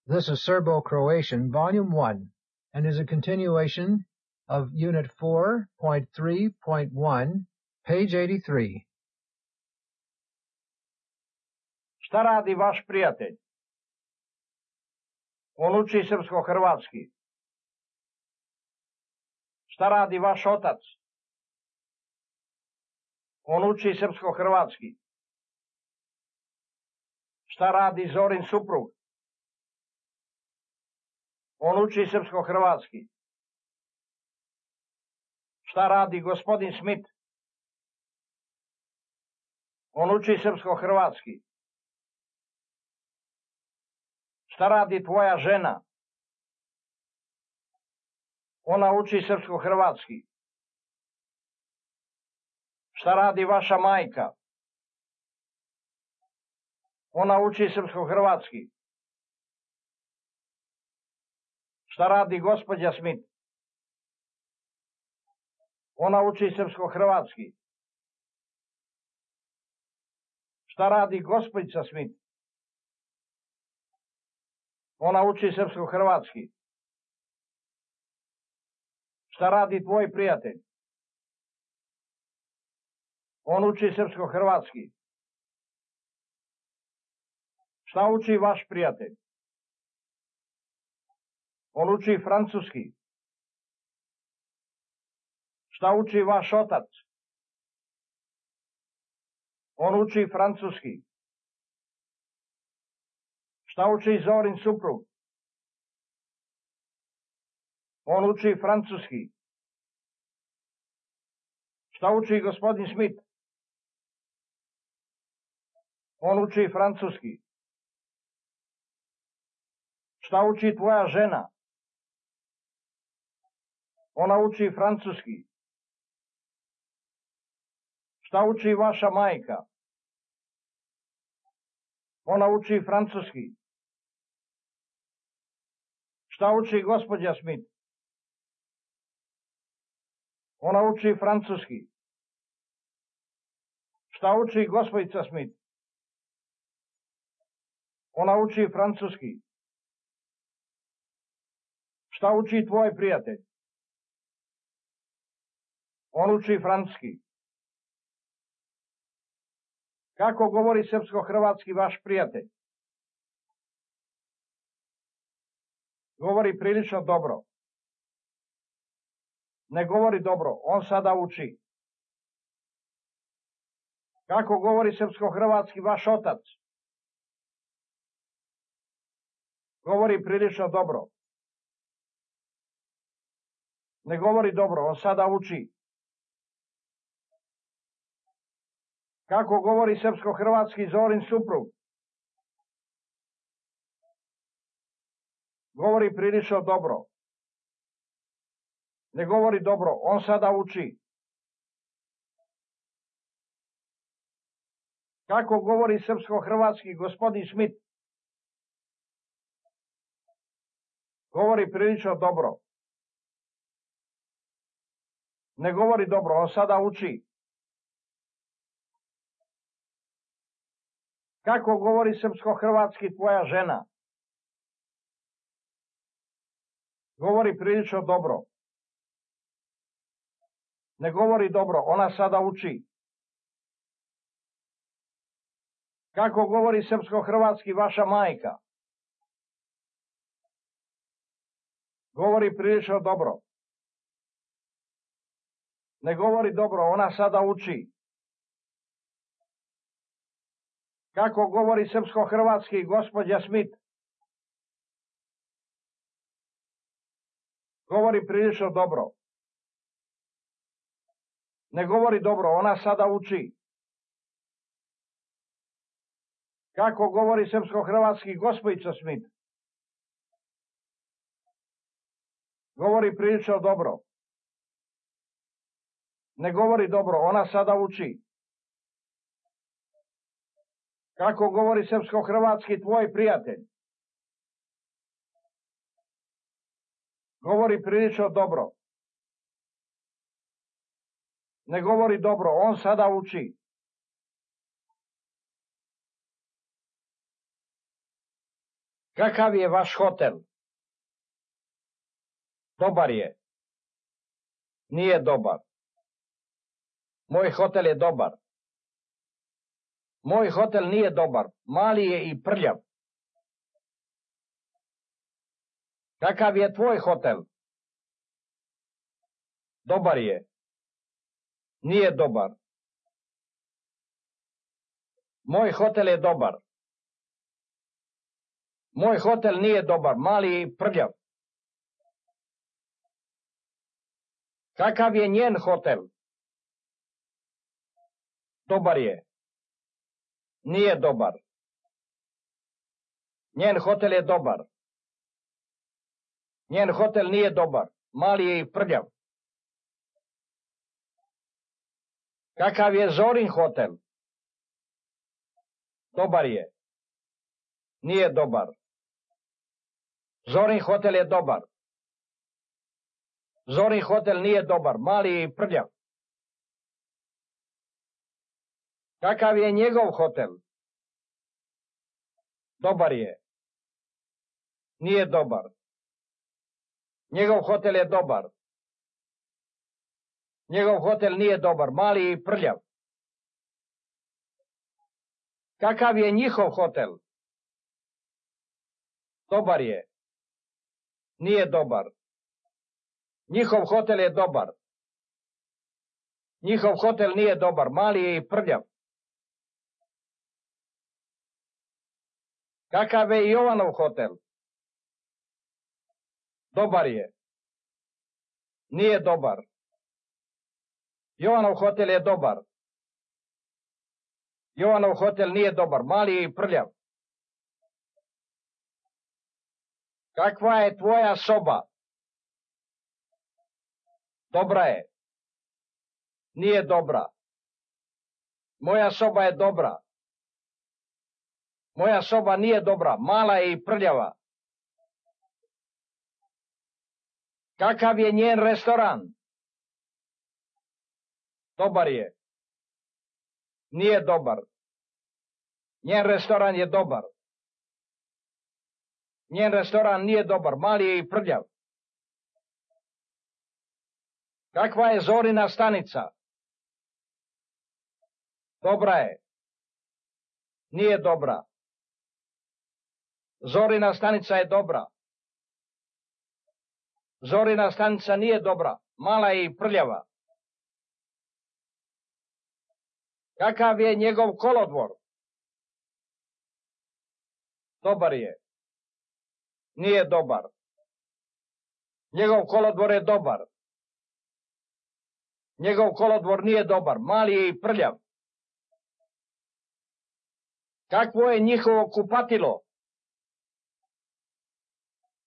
This is Serbo-Croatian, Volume 1, and is a continuation of Unit 4.3.1, page 83. Šta radi vaš prijatelj? On uči srpsko-hrvatski. Šta radi vaš otac? On uči srpsko-hrvatski. Šta radi Zorin suprug? On uči srpsko-hrvatski. Šta radi gospodin Smith? On uči srpsko-hrvatski. Šta radi tvoja žena? Ona uči srpsko-hrvatski. Šta radi vaša majka? Ona uči srpsko-hrvatski. Šta radi gospođa Smith? Ona uči srpsko-hrvatski. Šta radi gospođica Smith? Ona uči srpsko-hrvatski. Šta radi tvoj prijatelj? On uči srpsko-hrvatski. Šta uči vaš prijatelj? On uči francuski. Šta uči vaš otac? On uči francuski. Šta uči Zorin suprug? On uči francuski. Šta uči gospodin Smith? On uči francuski. Šta uči tvoja žena? Ona uči francuski. Šta uči vaša majka? Ona uči francuski. Šta uči gospođa Smith? Ona uči francuski. Šta uči gospođica Smith? Ona uči francuski. Šta uči tvoj prijatelj? On uči francuski. Kako govori srpsko-hrvatski vaš prijatelj? Govori prilično dobro. Ne govori dobro, on sada uči. Kako govori srpsko-hrvatski vaš otac? Govori prilično dobro. Ne govori dobro, on sada uči. Kako govori srpsko-hrvatski Zorin suprug? Govori prilično dobro. Ne govori dobro, on sada uči. Kako govori srpsko-hrvatski gospodin Smith? Govori prilično dobro. Ne govori dobro, on sada uči. Kako govori srpsko-hrvatski tvoja žena? Govori prilično dobro. Ne govori dobro, ona sada uči. Kako govori srpsko-hrvatski vaša majka? Govori prilično dobro. Ne govori dobro, ona sada uči. Kako govori srpsko-hrvatski gospođa Smith? Govori prilično dobro. Ne govori dobro, ona sada uči. Kako govori srpsko-hrvatski gospođica Smith? Govori prilično dobro. Ne govori dobro, ona sada uči. Kako govori srpsko-hrvatski tvoj prijatelj? Govori prilično dobro. Ne govori dobro, on sada uči. Kakav je vaš hotel? Dobar je. Nije dobar. Moj hotel je dobar. Moj hotel nije dobar. Mali je i prljav. Kakav je tvoj hotel? Dobar je. Nije dobar. Moj hotel je dobar. Moj hotel nije dobar. Mali je i prljav. Kakav je njen hotel? Dobar je. Nije dobar. Njen hotel je dobar. Njen hotel nije dobar. Mali je i prljav. Kakav je Zorin hotel? Dobar je. Nije dobar. Zorin hotel je dobar. Zorin hotel nije dobar. Mali je i prljav. Kakav je njegov hotel? Dobar je. Nije dobar. Njegov hotel je dobar. Njegov hotel nije dobar. Mali je i prljav. Kakav je njihov hotel? Dobar je. Nije dobar. Njihov hotel je dobar. Njihov hotel nije dobar. Mali je i prljav. Kakav je Jovanov hotel? Dobar je. Nije dobar. Jovanov hotel je dobar. Jovanov hotel nije dobar. Mali je i prljav. Kakva je tvoja soba? Dobra je. Nije dobra. Moja soba je dobra. Moja soba nije dobra. Mala je i prljava. Kakav je njen restoran? Dobar je. Nije dobar. Njen restoran je dobar. Njen restoran nije dobar. Mali je i prljav. Kakva je Zorina stanica? Dobra je. Nije dobra. Zorina stanica je dobra. Zorina stanica nije dobra. Mala je i prljava. Kakav je njegov kolodvor? Dobar je. Nije dobar. Njegov kolodvor je dobar. Njegov kolodvor nije dobar. Mali je i prljav. Kakvo je njihovo kupatilo?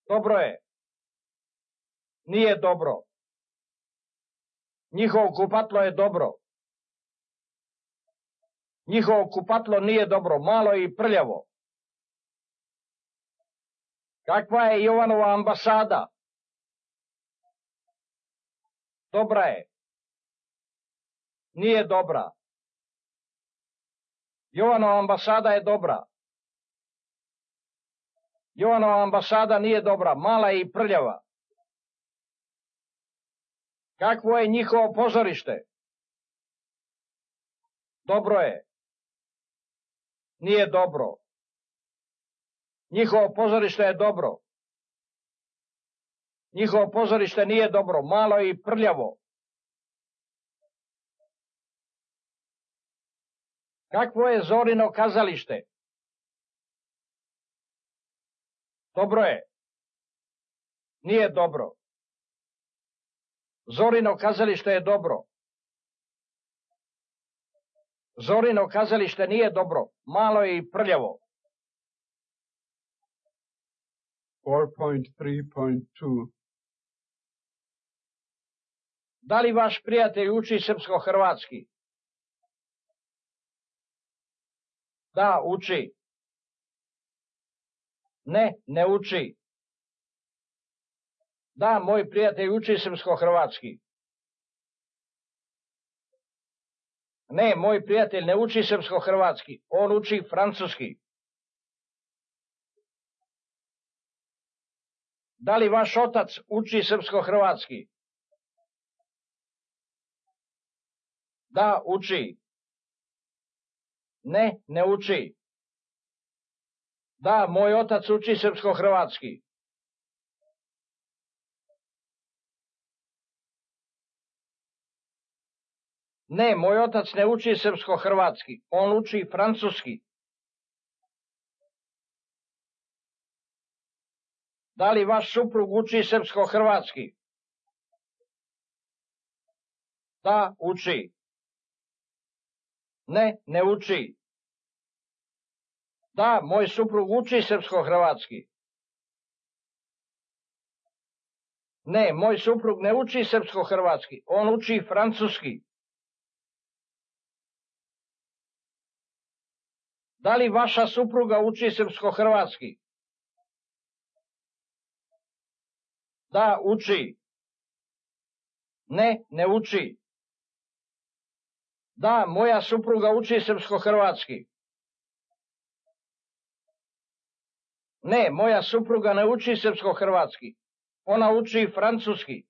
Dobro je. Nije dobro. Njihovo kupatlo je dobro. Njihovo kupatlo nije dobro. Malo je i prljavo. Kakva je Jovanova ambasada? Dobra je. Nije dobra. Jovanova ambasada je dobra. Jovanova ambasada nije dobra. Mala je i prljava. Kakvo je njihovo pozorište? Dobro je. Nije dobro. Njihovo pozorište je dobro. Njihovo pozorište nije dobro. Malo je i prljavo. Kakvo je Zorino kazalište? Dobro je. Nije dobro. Zorino kazalište je dobro. Zorino kazalište nije dobro. Malo je i prljavo. 4.3.2 Da li vaš prijatelj uči srpsko-hrvatski? Da, uči. Ne, ne uči. Da, moj prijatelj uči srpsko-hrvatski. Ne, moj prijatelj ne uči srpsko-hrvatski. On uči francuski. Da li vaš otac uči srpsko-hrvatski? Da, uči. Ne, ne uči. Da, moj otac uči srpsko-hrvatski. Ne, moj otac ne uči srpsko-hrvatski, on uči francuski. Da li vaš suprug uči srpsko-hrvatski? Da, uči. Ne, ne uči. Da, moj suprug uči srpsko-hrvatski. Ne, moj suprug ne uči srpsko-hrvatski, on uči francuski. Da li vaša supruga uči srpsko-hrvatski? Da, uči. Ne, ne uči. Da, moja supruga uči srpsko-hrvatski. Ne, moja supruga ne uči srpsko-hrvatski. Ona uči francuski.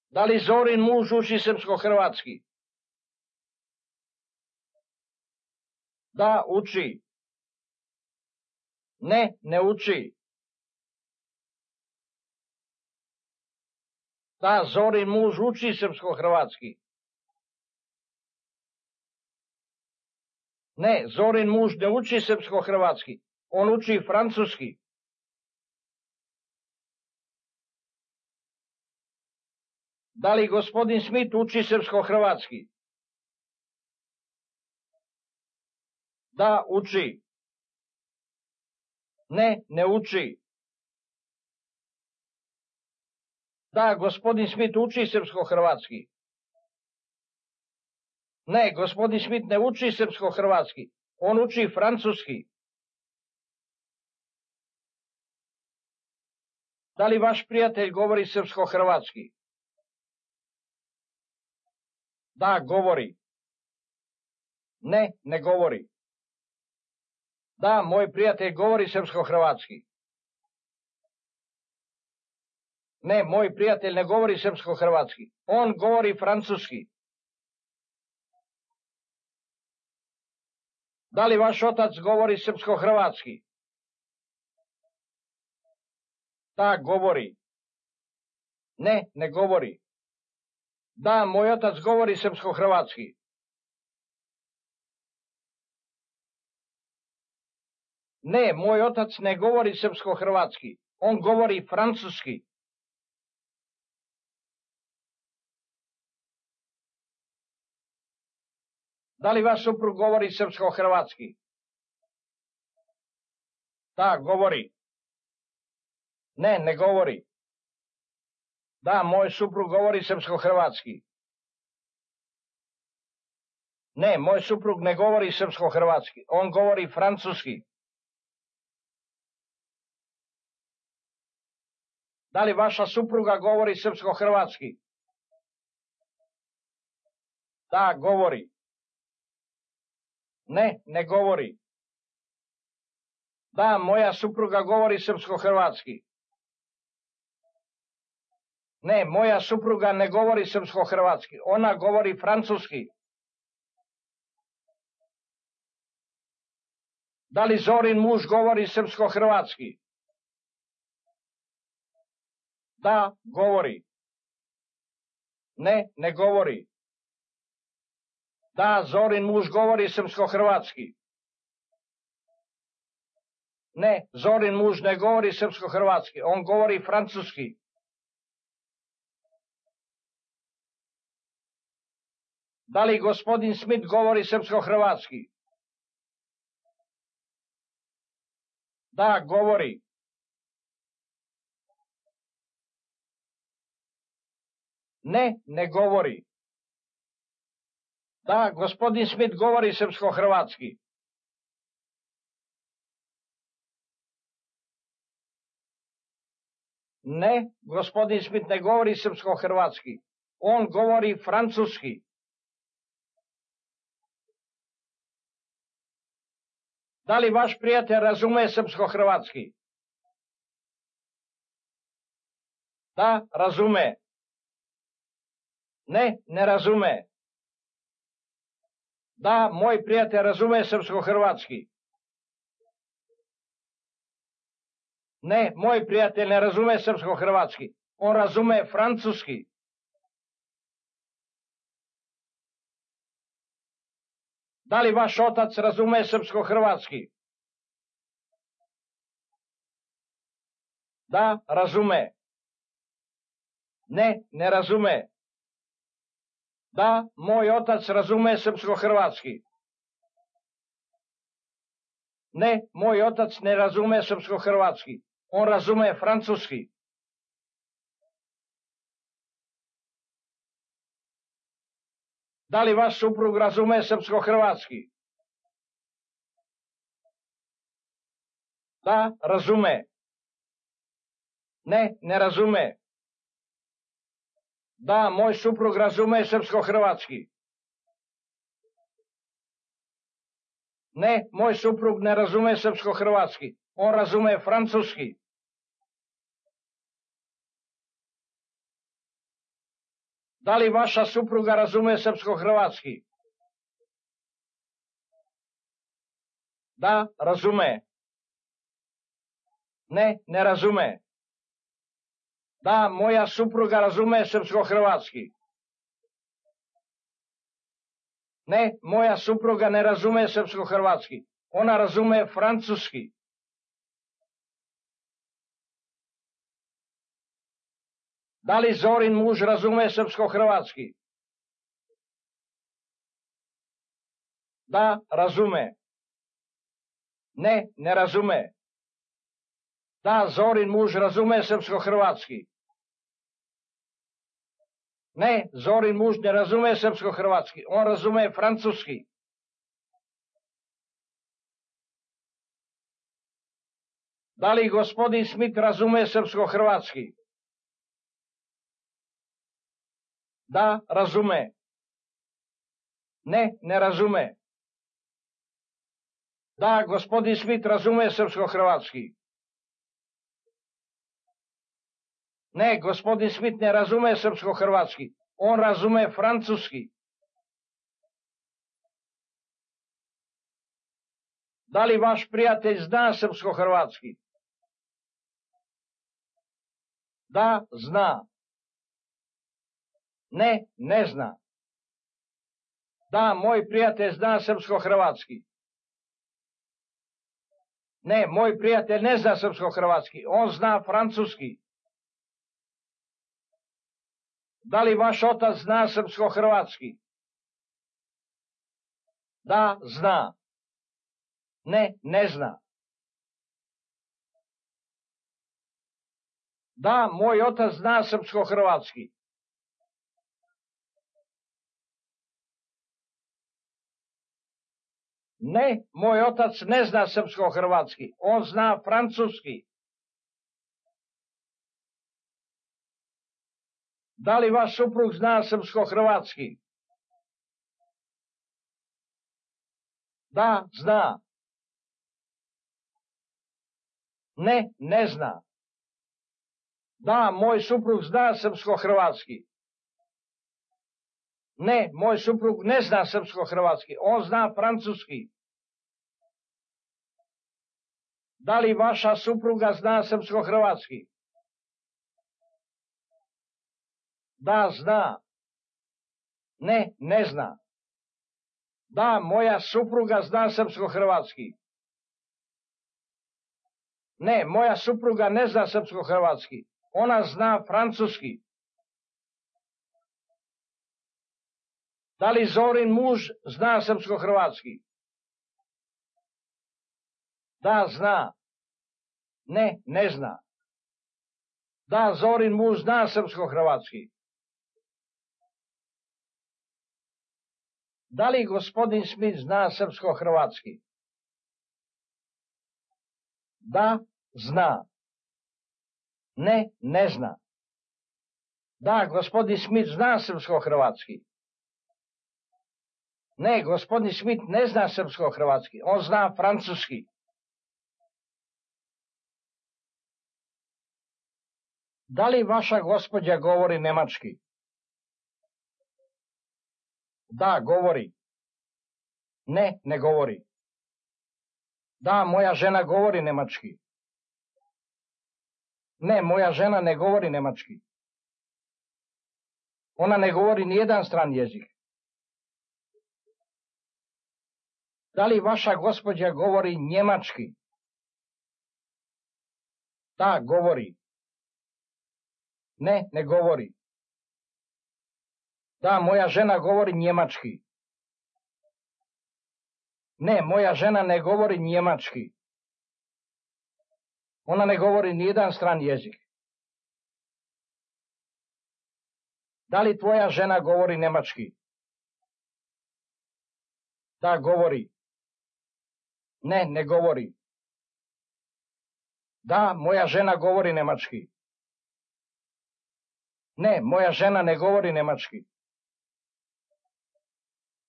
Da li Zorin muž uči srpsko-hrvatski? Da, uči. Ne, ne uči. Da, Zorin muž uči srpsko-hrvatski. Ne, Zorin muž ne uči srpsko-hrvatski. On uči francuski. Da li gospodin Smith uči srpsko-hrvatski? Da, uči. Ne, ne uči. Da, gospodin Smith uči srpsko-hrvatski. Ne, gospodin Smith ne uči srpsko-hrvatski. On uči francuski. Da li vaš prijatelj govori srpsko-hrvatski? Da, govori. Ne, ne govori. Da, moj prijatelj govori srpsko-hrvatski. Ne, moj prijatelj ne govori srpsko-hrvatski. On govori francuski. Da li vaš otac govori srpsko-hrvatski? Da, govori. Ne, ne govori. Da, moj otac govori srpsko-hrvatski. Ne, moj otac ne govori srpsko-hrvatski. On govori francuski. Da li vaš suprug govori srpsko-hrvatski? Da, govori. Ne, ne govori. Da, moj suprug govori srpsko-hrvatski. Ne, moj suprug ne govori srpsko-hrvatski. On govori francuski. Da li vaša supruga govori srpsko-hrvatski? Da, govori. Ne, ne govori. Da, moja supruga govori srpsko-hrvatski. Ne, moja supruga ne govori srpsko-hrvatski. Ona govori francuski. Da li Zorin muž govori srpsko-hrvatski? Da, govori. Ne, ne govori. Da, Zorin muž govori srpsko-hrvatski. Ne, Zorin muž ne govori srpsko-hrvatski. On govori francuski. Da li gospodin Smith govori srpsko-hrvatski? Da, govori. Ne, ne govori. Da, gospodin Smith govori srpsko-hrvatski. Ne, gospodin Smith ne govori srpsko-hrvatski. On govori francuski. Da li vaš prijatelj razume srpsko-hrvatski? Da, razume. Ne, ne razume. Da, moj prijatelj razume srpsko-hrvatski. Ne, moj prijatelj ne razume srpsko-hrvatski. On razume francuski. Da li vaš otac razume srpsko-hrvatski? Da, razume. Ne, ne razume. Da, moj otac razume srpsko-hrvatski. Ne, moj otac ne razume srpsko-hrvatski. On razume francuski. Da li vaš suprug razume srpsko-hrvatski? Da, razume. Ne, ne razume. Da, moj suprug razume srpsko-hrvatski. Ne, moj suprug ne razume srpsko-hrvatski. On razume francuski. Da li vaša supruga razume srpsko-hrvatski? Da, razume. Ne, ne razume. Da, moja supruga razume srpsko-hrvatski. Ne, moja supruga ne razume srpsko-hrvatski. Ona razume francuski. Da li Zorin muž razume srpsko-hrvatski? Da, razume. Ne, ne razume. Da, Zorin muž razume srpsko-hrvatski. Ne, Zorin muž ne razume srpsko-hrvatski. On razume francuski. Da li gospodin Smith razume srpsko-hrvatski? Da, razume. Ne, ne razume. Da, gospodin Smith razume srpsko-hrvatski. Ne, gospodin Smith ne razume srpsko-hrvatski. On razume francuski. Da li vaš prijatelj zna srpsko-hrvatski? Da, zna. Ne, ne zna. Da, moj prijatelj zna srpsko-hrvatski. Ne, moj prijatelj ne zna srpsko-hrvatski. On zna francuski. Da li vaš otac zna srpsko-hrvatski? Da, zna. Ne, ne zna. Da, moj otac zna srpsko-hrvatski. Ne, moj otac ne zna srpsko-hrvatski. On zna francuski. Da li vaš suprug zna srpsko-hrvatski? Da, zna. Ne, ne zna. Da, moj suprug zna srpsko-hrvatski. Ne, moj suprug ne zna srpsko-hrvatski. On zna francuski. Da li vaša supruga zna srpsko-hrvatski? Da, zna. Ne, ne zna. Da, moja supruga zna srpsko-hrvatski. Ne, moja supruga ne zna srpsko-hrvatski. Ona zna francuski. Da li Zorin muž zna srpsko-hrvatski? Da, zna. Ne, ne zna. Da, Zorin muž zna srpsko-hrvatski. Da li gospodin Smith zna srpsko-hrvatski? Da, zna. Ne, ne zna. Da, gospodin Smith zna srpsko-hrvatski. Ne, gospodin Smith ne zna srpsko-hrvatski, on zna francuski. Da li vaša gospođa govori nemački? Da, govori. Ne, ne govori. Da, moja žena govori nemački. Ne, moja žena ne govori nemački. Ona ne govori nijedan stran jezik. Da li vaša gospođa govori njemački? Da, govori. Ne, ne govori. Da, moja žena govori njemački. Ne, moja žena ne govori njemački. Ona ne govori nijedan stran jezik. Da li tvoja žena govori nemački? Da, govori. Ne, ne govori. Da, moja žena govori nemački. Ne, moja žena ne govori nemački.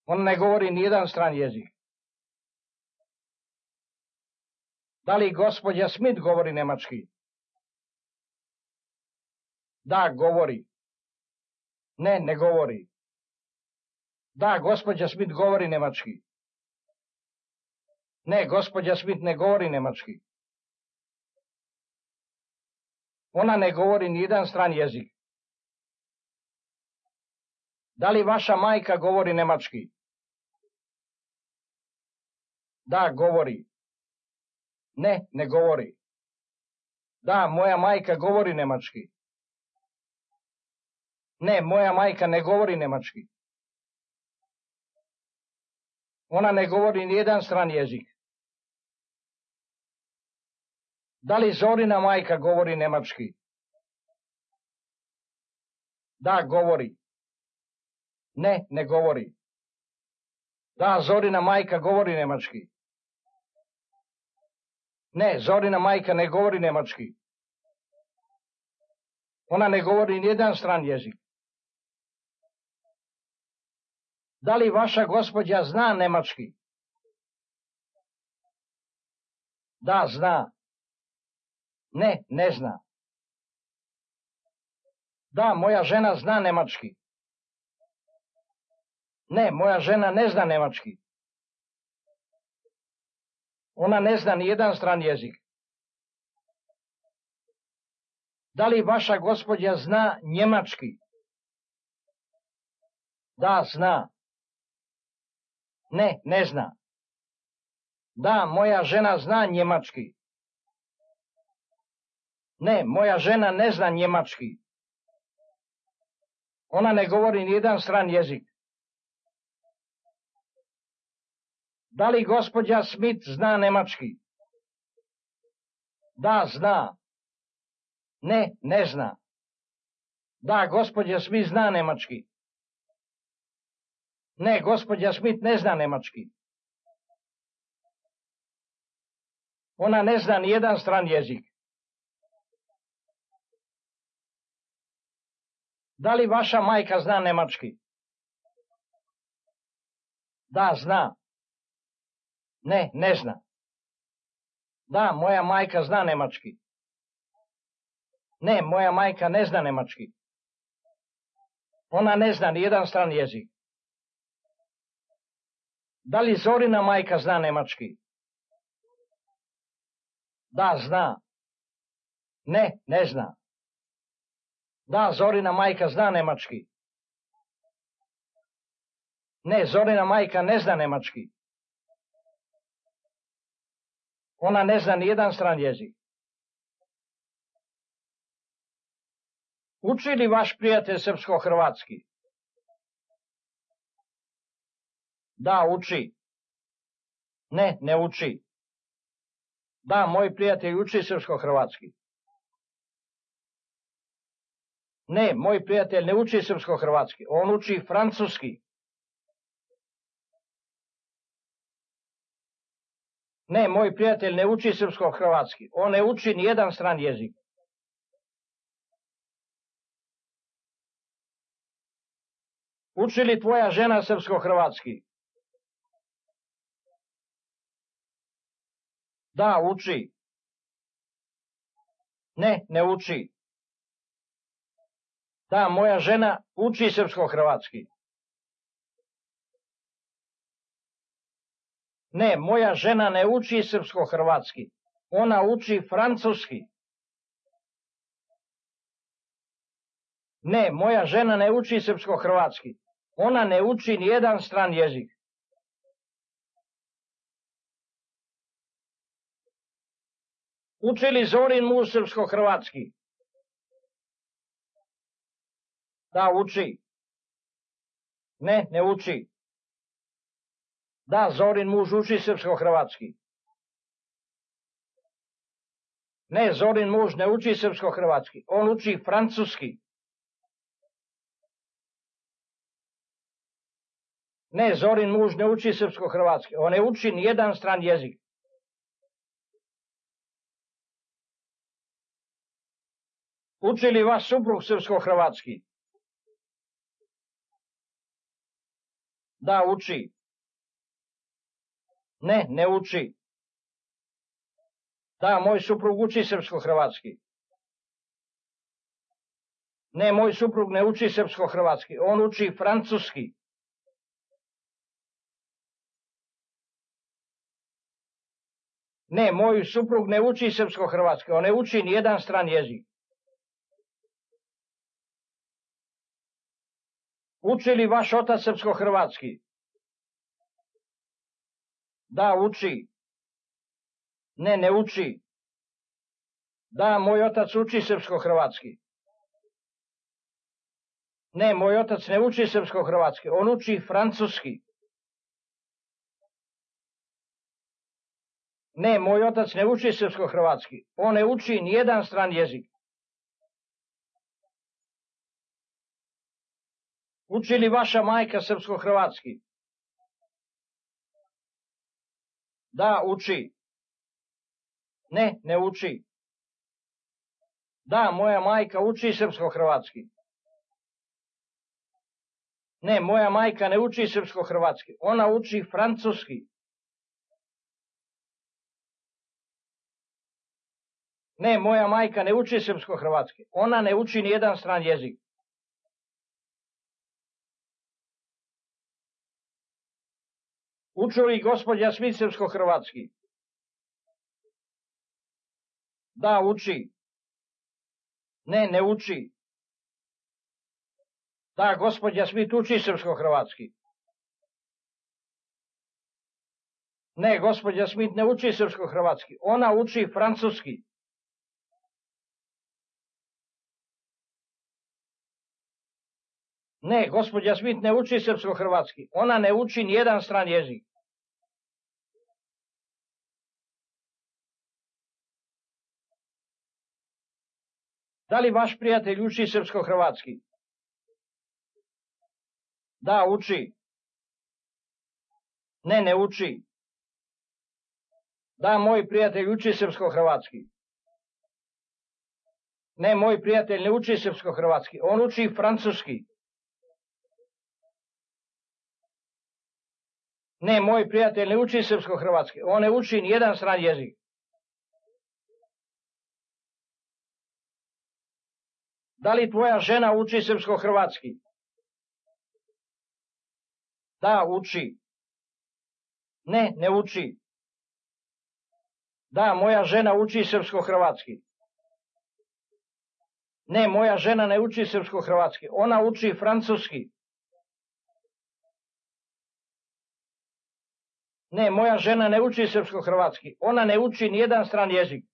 Ona ne govori nijedan stran jezik. Da li gospođa Smith govori nemački? Da, govori. Ne, ne govori. Da, gospođa Smith govori nemački. Ne, gospođa Smith ne govori nemački. Ona ne govori nijedan stran jezik. Da li vaša majka govori nemački? Da, govori. Ne, ne govori. Da, moja majka govori nemački. Ne, moja majka ne govori nemački. Ona ne govori nijedan stran jezik. Da li Zorina majka govori nemački? Da, govori. Ne, ne govori. Da, Zorina majka govori nemački. Ne, Zorina majka ne govori nemački. Ona ne govori nijedan stran jezik. Da li vaša gospođa zna nemački? Da, zna. Ne, ne zna. Da, moja žena zna nemački. Ne, moja žena ne zna nemački. Ona ne zna nijedan stran jezik. Da li vaša gospođa zna njemački? Da, zna. Ne, ne zna. Da, moja žena zna njemački. Ne, moja žena ne zna njemački. Ona ne govori nijedan stran jezik. Da li gospođa Smith zna nemački? Da, zna. Ne, ne zna. Da, gospođa Smith zna nemački. Ne, gospođa Smith ne zna nemački. Ona ne zna nijedan stran jezik. Da li vaša majka zna nemački? Da, zna. Ne, ne zna. Da, moja majka zna nemački. Ne, moja majka ne zna nemački. Ona ne zna nijedan stran jezik. Da li Zorina majka zna nemački? Da, zna. Ne, ne zna. Da, Zorina majka zna nemački. Ne, Zorina majka ne zna nemački. Ona ne zna nijedan stran jezik. Uči li vaš prijatelj srpsko-hrvatski? Da, uči. Ne, ne uči. Da, moj prijatelj uči srpsko-hrvatski. Ne, moj prijatelj ne uči srpsko-hrvatski, on uči francuski. Ne, moj prijatelj ne uči srpsko-hrvatski, on ne uči nijedan stran jezik. Uči li tvoja žena srpsko-hrvatski? Da, uči. Ne, ne uči. Da, moja žena uči srpsko-hrvatski. Ne, moja žena ne uči srpsko-hrvatski. Ona uči francuski. Ne, moja žena ne uči srpsko-hrvatski. Ona ne uči nijedan stran jezik. Uči li Zorin muž srpsko-hrvatski? Da, uči. Ne, ne uči. Da, Zorin muž uči srpsko-hrvatski. Ne, Zorin muž ne uči srpsko-hrvatski. On uči francuski. Ne, Zorin muž ne uči srpsko-hrvatski. On ne uči nijedan stran jezik. Uči li vaš suprug srpsko-hrvatski? Da, uči. Ne, ne uči. Da, moj suprug uči srpsko-hrvatski. Ne, moj suprug ne uči srpsko-hrvatski. On uči francuski. Ne, moj suprug ne uči srpsko-hrvatski. On ne uči nijedan stran jezik. Uči li vaš otac srpsko-hrvatski? Da, uči. Ne, ne uči. Da, moj otac uči srpsko-hrvatski. Ne, moj otac ne uči srpsko-hrvatski. On uči francuski. Ne, moj otac ne uči srpsko-hrvatski. On ne uči nijedan stran jezik. Uči li vaša majka srpsko-hrvatski? Da, uči. Ne, ne uči. Da, moja majka uči srpsko-hrvatski. Ne, moja majka ne uči srpsko-hrvatski. Ona uči francuski. Ne, moja majka ne uči srpsko-hrvatski. Ona ne uči nijedan stran jezik. Uči li gospođa Smith srpsko-hrvatski? Da, uči. Ne, ne uči. Da, gospođa Smith uči srpsko-hrvatski. Ne, gospođa Smith ne uči srpsko-hrvatski. Ona uči francuski. Ne, gospođa Smith ne uči srpsko-hrvatski. Ona ne uči nijedan stran jezik. Da li vaš prijatelj uči srpsko-hrvatski? Da, uči. Ne, ne uči. Da, moj prijatelj uči srpsko-hrvatski. Ne, moj prijatelj ne uči srpsko-hrvatski. On uči francuski. Ne, moj prijatelj ne uči srpsko-hrvatski. On ne uči nijedan stran jezik. Da li tvoja žena uči srpsko-hrvatski? Da, uči. Ne, ne uči. Da, moja žena uči srpsko-hrvatski. Ne, moja žena ne uči srpsko-hrvatski. Ona uči francuski. Ne, moja žena ne uči srpsko-hrvatski. Ona ne uči nijedan stran jezik.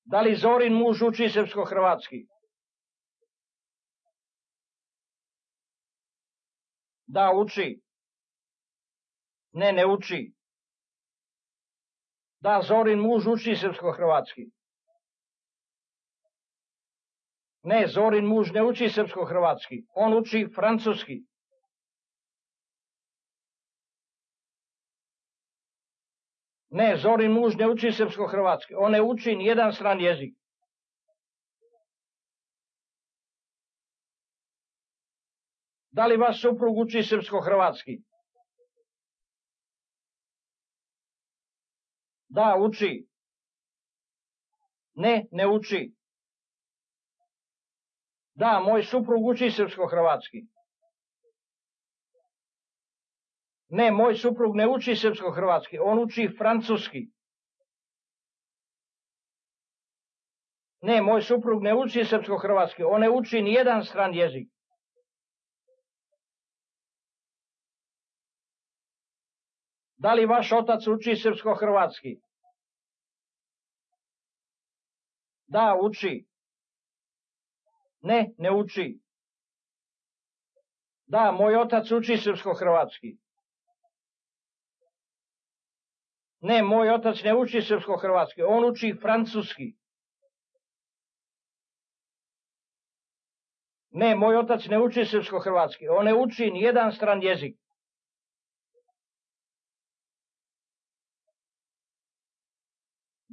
Da li Zorin muž uči srpsko-hrvatski? Da, uči. Ne, ne uči. Da, Zorin muž uči srpsko-hrvatski. Ne, Zorin muž ne uči srpsko-hrvatski. On uči francuski. Ne, Zorin muž ne uči srpsko-hrvatski. On ne uči nijedan stran jezik. Da li vaš suprug uči srpsko-hrvatski? Da, uči. Ne, ne uči. Da, moj suprug uči srpsko-hrvatski. Ne, moj suprug ne uči srpsko-hrvatski, on uči francuski. Ne, moj suprug ne uči srpsko-hrvatski, on ne uči nijedan stran jezik. Da li vaš otac uči srpsko-hrvatski? Da, uči. Ne, ne uči. Da, moj otac uči srpsko-hrvatski. Ne, moj otac ne uči srpsko-hrvatski, on uči francuski. Ne, moj otac ne uči srpsko-hrvatski, on ne uči nijedan stran jezik.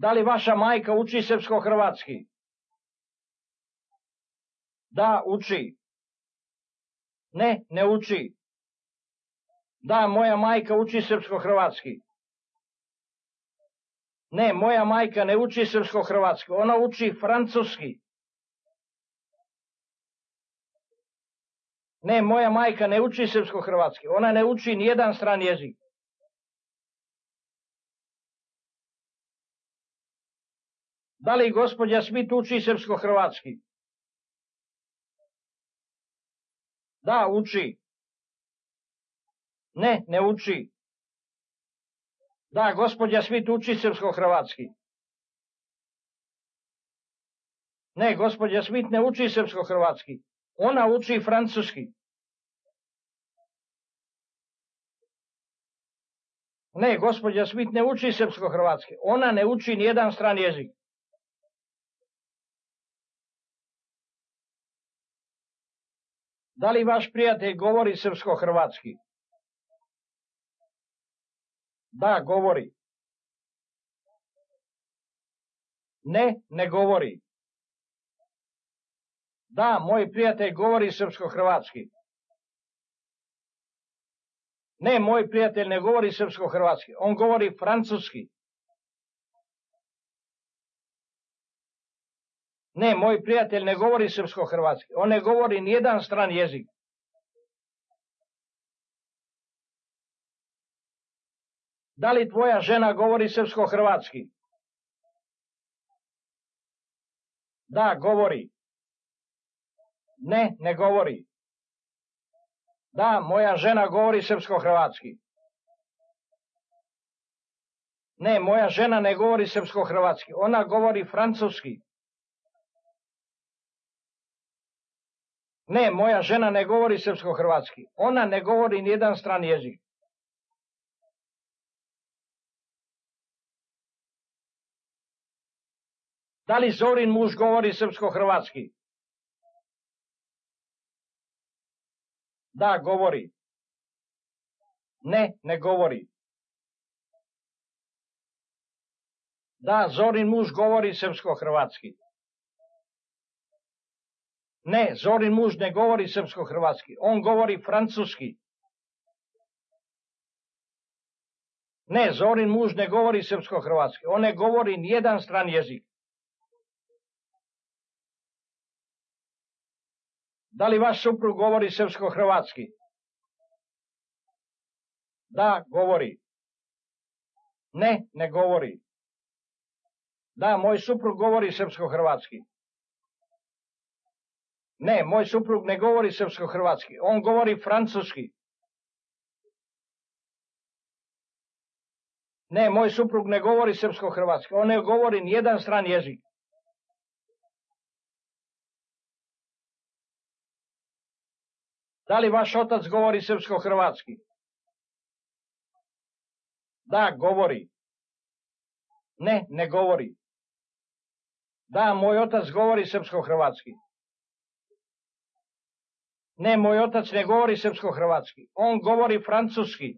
Da li vaša majka uči srpsko-hrvatski? Da, uči. Ne, ne uči. Da, moja majka uči srpsko-hrvatski. Ne, moja majka ne uči srpsko-hrvatski, ona uči francuski. Ne, moja majka ne uči srpsko-hrvatski, ona ne uči nijedan stran jezik. Da li gospođa Smith uči srpsko-hrvatski? Da, uči. Ne, ne uči. Da, gospođa Smith uči srpsko-hrvatski. Ne, gospođa Smith ne uči srpsko-hrvatski. Ona uči francuski. Ne, gospođa Smith ne uči srpsko-hrvatski. Ona ne uči nijedan stran jezik. Da li vaš prijatelj govori srpsko-hrvatski? Da, govori. Ne, ne govori. Da, moj prijatelj govori srpsko-hrvatski. Ne, moj prijatelj ne govori srpsko-hrvatski, on govori francuski. Ne, moj prijatelj ne govori srpsko-hrvatski, on ne govori nijedan stran jezik. Da li tvoja žena govori srpsko-hrvatski? Da, govori. Ne, ne govori. Da, moja žena govori srpsko-hrvatski. Ne, moja žena ne govori srpsko-hrvatski, ona govori francuski. Ne, moja žena ne govori srpsko-hrvatski, ona ne govori nijedan stran jezik. Da li Zorin muž govori srpsko-hrvatski? Da, govori. Ne, ne govori. Da, Zorin muž govori srpsko-hrvatski. Ne, Zorin muž ne govori srpsko-hrvatski, on govori francuski. Ne, Zorin muž ne govori srpsko-hrvatski, on ne govori nijedan stran jezik. Da li vaš suprug govori srpsko-hrvatski? Da, govori. Ne, ne govori. Da, moj suprug govori srpsko-hrvatski. Ne, moj suprug ne govori srpsko-hrvatski, on govori francuski. Ne, moj suprug ne govori srpsko-hrvatski, on ne govori nijedan stran jezik. Da li vaš otac govori srpsko-hrvatski? Da, govori. Ne, ne govori. Da, moj otac govori srpsko-hrvatski. Ne, moj otac ne govori srpsko-hrvatski, on govori francuski.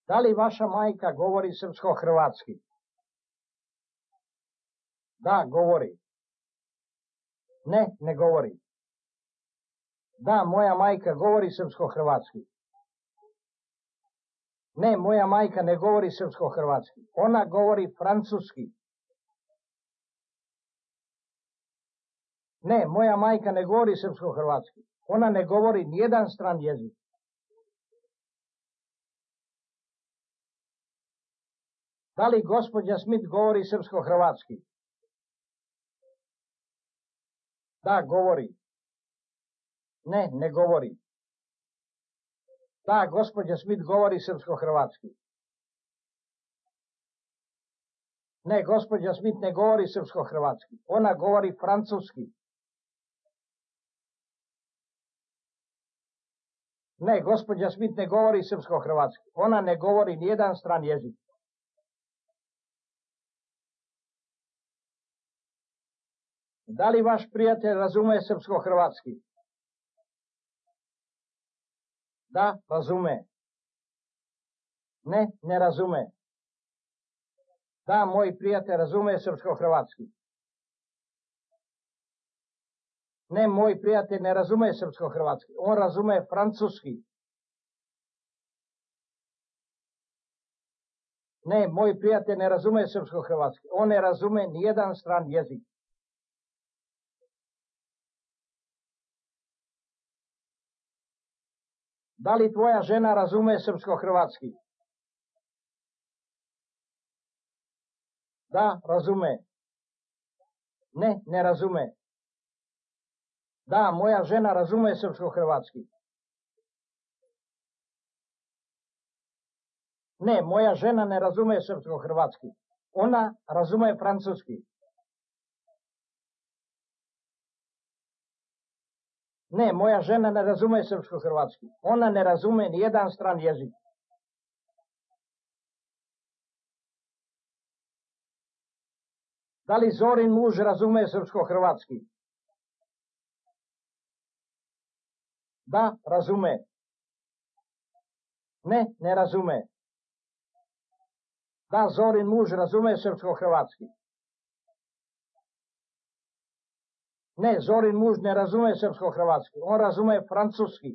Da li vaša majka govori srpsko-hrvatski? Da, govori. Ne, ne govori. Da, moja majka govori srpsko-hrvatski. Ne, moja majka ne govori srpsko-hrvatski. Ona govori francuski. Ne, moja majka ne govori srpsko-hrvatski. Ona ne govori nijedan stran jezik. Da li gospođa Smith govori srpsko-hrvatski? Da, govori. Ne, ne govori. Da, gospođa Smith govori srpsko-hrvatski. Ne, gospođa Smith ne govori srpsko-hrvatski. Ona govori francuski. Ne, gospođa Smith ne govori srpsko-hrvatski. Ona ne govori nijedan stran jezik. Da li vaš prijatelj razume srpsko-hrvatski? Da, razume. Ne, ne razume. Da, moj prijatelj razume srpsko-hrvatski. Ne, moj prijatelj ne razume srpsko-hrvatski. On razume francuski. Ne, moj prijatelj ne razume srpsko-hrvatski. On ne razume nijedan stran jezik. Da li tvoja žena razume srpsko-hrvatski? Da, razume. Ne, ne razume. Da, moja žena razume srpsko-hrvatski. Ne, moja žena ne razume srpsko-hrvatski. Ona razume francuski. Ne, moja žena ne razume srpsko-hrvatski. Ona ne razume nijedan stran jezik. Da li Zorin muž razume srpsko-hrvatski? Da, razume. Ne, ne razume. Da, Zorin muž razume srpsko-hrvatski. Ne, Zorin muž ne razume srpsko-hrvatski. On razume francuski.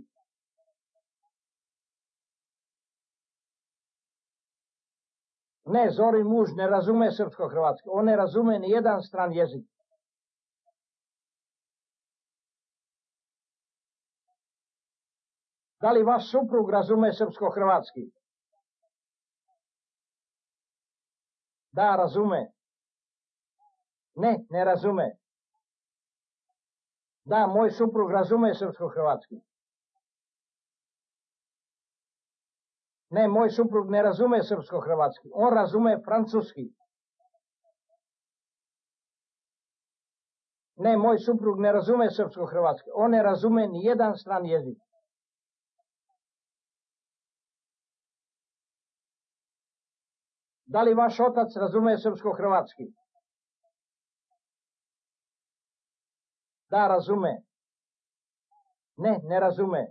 Ne, Zorin muž ne razume srpsko-hrvatski. On ne razume nijedan stran jezik. Da li vaš suprug razume srpsko-hrvatski? Da, razume. Ne, ne razume. Da, moj suprug razume srpsko-hrvatski. Ne, moj suprug ne razume srpsko-hrvatski. On razume francuski. Ne, moj suprug ne razume srpsko-hrvatski. On ne razume nijedan stran jezik. Da li vaš otac razume srpsko-hrvatski? Da, razume. Ne, ne razume.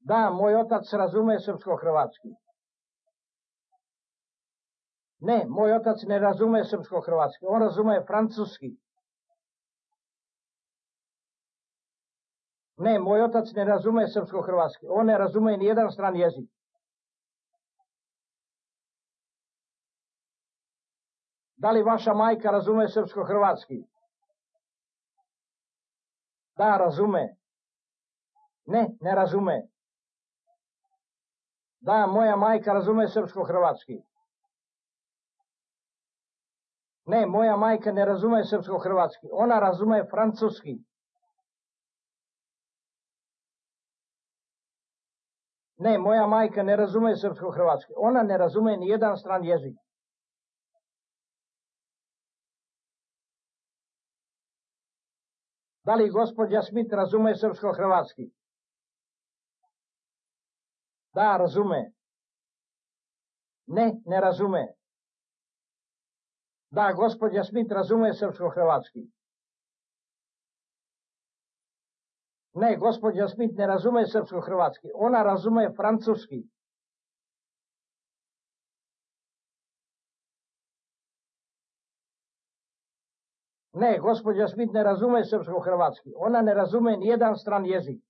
Da, moj otac razume srpsko-hrvatski. Ne, moj otac ne razume srpsko-hrvatski. On razume francuski. Ne, moj otac ne razume srpsko-hrvatski. On ne razume nijedan stran jezik. Da li vaša majka razume srpsko-hrvatski? Da, razume. Ne, ne razume. Da, moja majka razume srpsko-hrvatski. Ne, moja majka ne razume srpsko-hrvatski. Ona razume francuski. Ne, moja majka ne razume srpsko-hrvatski. Ona ne razume nijedan stran jezik. Da li gospođa Smith razume srpsko-hrvatski? Da, razume. Ne, ne razume. Da, gospođa Smith razume srpsko-hrvatski. Ne, gospođa Smith ne razume srpsko-hrvatski. Ona razume francuski. Ne, gospođa Smith ne razume srpsko-hrvatski. Ona ne razume nijedan stran jezik.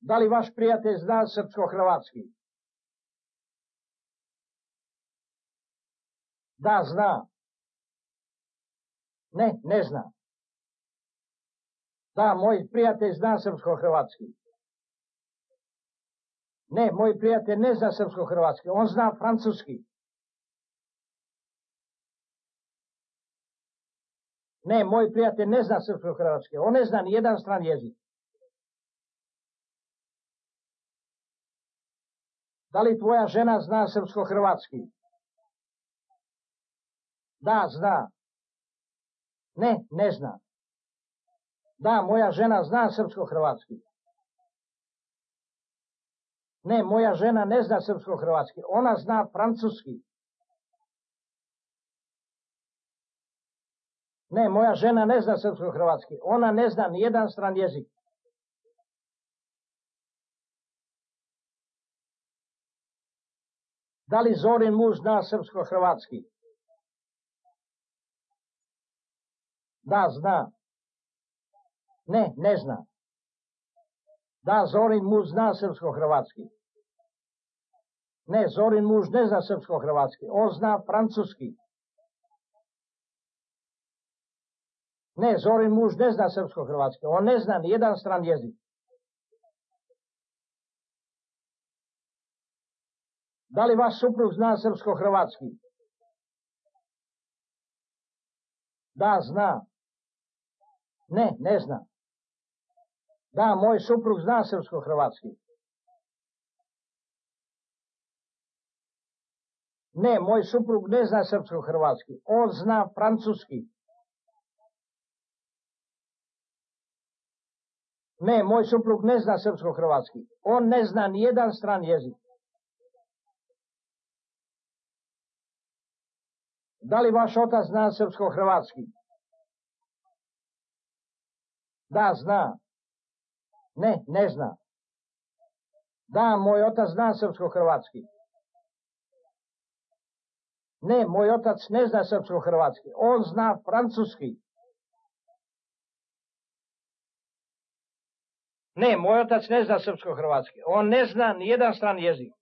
Da li vaš prijatelj zna srpsko-hrvatski? Da, zna. Ne, ne zna. Da, moj prijatelj zna srpsko-hrvatski. Ne, moj prijatelj ne zna srpsko-hrvatski. On zna francuski. Ne, moj prijatelj ne zna srpsko-hrvatski. On ne zna ni jedan stran jezik. Da li tvoja žena zna srpsko-hrvatski? Da, zna. Ne, ne zna. Da, moja žena zna srpsko-hrvatski. Ne, moja žena ne zna srpsko-hrvatski. Ona zna francuski. Ne, moja žena ne zna srpsko-hrvatski. Ona ne zna ni jedan stran jezik. Da li Zorin muž zna srpsko-hrvatski? Da, zna. Ne, ne zna. Da, Zorin muž zna srpsko-hrvatski. Ne, Zorin muž ne zna srpsko-hrvatski. On zna francuski. Ne, Zorin muž ne zna srpsko-hrvatski. On ne zna ni jedan stran jezik. Da li vaš suprug zna srpsko-hrvatski? Da, zna. Ne, ne zna. Da, moj suprug zna srpsko-hrvatski. Ne, moj suprug ne zna srpsko-hrvatski. On zna francuski. Ne, moj suprug ne zna srpsko-hrvatski. On ne zna ni jedan stran jezik. Da li vaš otac zna srpsko-hrvatski? Da, zna. Ne, ne zna. Da, moj otac zna srpsko-hrvatski. Ne, moj otac ne zna srpsko-hrvatski. On zna francuski. Ne, moj otac ne zna srpsko-hrvatski. On ne zna ni jedan stran jezik.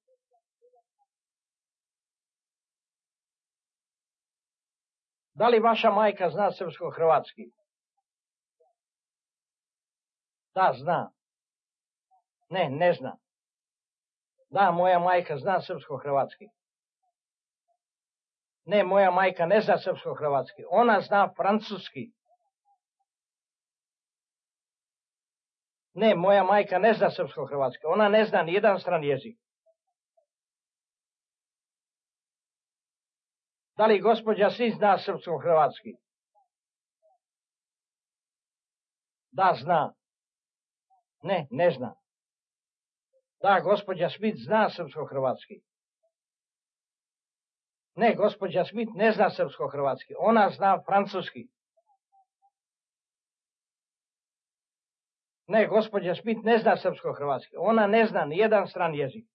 Da li vaša majka zna srpsko-hrvatski? Da, zna. Ne, ne zna. Da, moja majka zna srpsko-hrvatski. Ne, moja majka ne zna srpsko-hrvatski. Ona zna francuski. Ne, moja majka ne zna srpsko-hrvatski. Ona ne zna ni jedan stran jezik. Da li gospođa Smith zna srpsko-hrvatski? Da, zna. Ne, ne zna. Da, gospođa Smith zna srpsko-hrvatski. Ne, gospođa Smith ne zna srpsko-hrvatski. Ona zna francuski. Ne, gospođa Smith ne zna srpsko-hrvatski. Ona ne zna ni jedan stran jezik.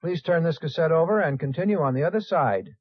Please turn this cassette over and continue on the other side.